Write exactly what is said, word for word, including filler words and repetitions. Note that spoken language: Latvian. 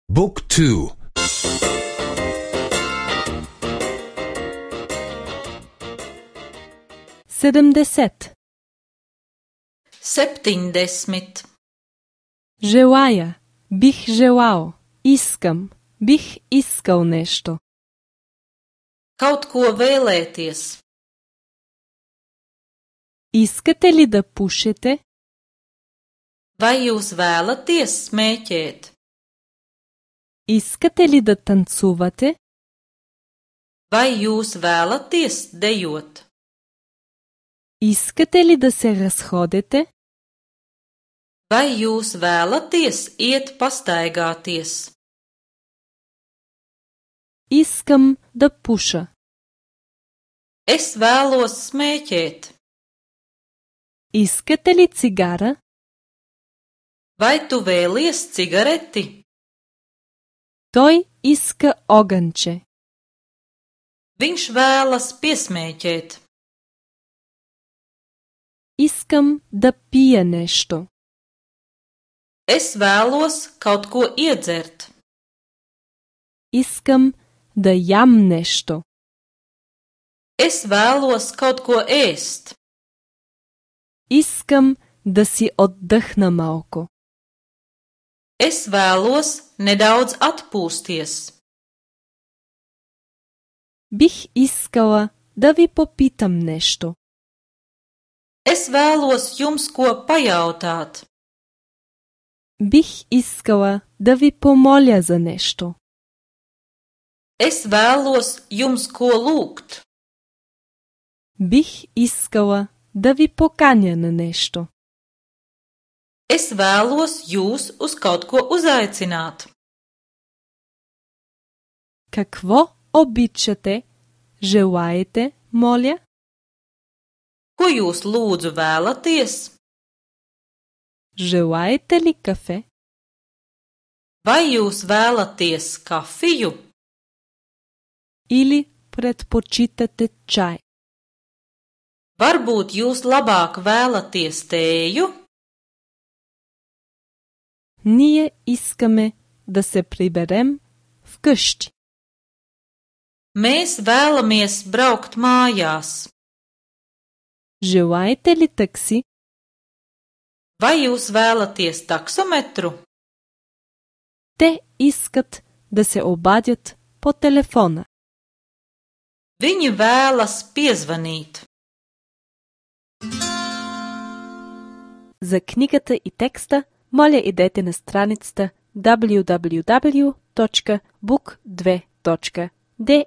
Book two. Седемдесет. Septiņdesmit. Желая. Бих желал. Искам. Бих искал нещо. Kaut ko vēlēties. Искате ли да пушите? Vai jūs vēlaties smēķēt? Искате ли да танцувате? Vai jūs vēlaties dejot? Искате ли да се разходите? Vai jūs vēlaties iet pastaigāties? Искам да пуша. Es vēlos smēķēt. Искате ли цигара? Vai tu vēlies cigareti? Той иска огънче. Viņš vēlas piesmēķēt. Искам да пия нещо. Es vēlos kaut ko iedzert. Искам да ям нещо. Es vēlos kaut ko ēst. Искам да си отдъхна малко. Es vēlos nedaudz atpūsties. Бих искала да ви попитам нещо. Es vēlos jums ko pajautāt. Бих искала да ви помоля за нещо. Es vēlos jums ko lūgt. Бих искала да ви поканя на нещо. Es vēlos jūs uz kaut ko uzaicināt. Какво обичате, желаете, моля? Ko jūs lūdzu vēlaties? Желаете ли кафе? Vai jūs vēlaties kafiju? Или предпочитате чай? Varbūt jūs labāk vēlaties tēju? Ние искаме да се приберем вкъщи. Mēs vēlamies braukt mājās. Желаете ли такси? Vai jūs vēlaties taksometru? Те искат да се обадят по телефона. Viņi vēlas piezvanīt. За книгата и текста моля идете на страницата дабълю дабълю дабълю точка бук две точка де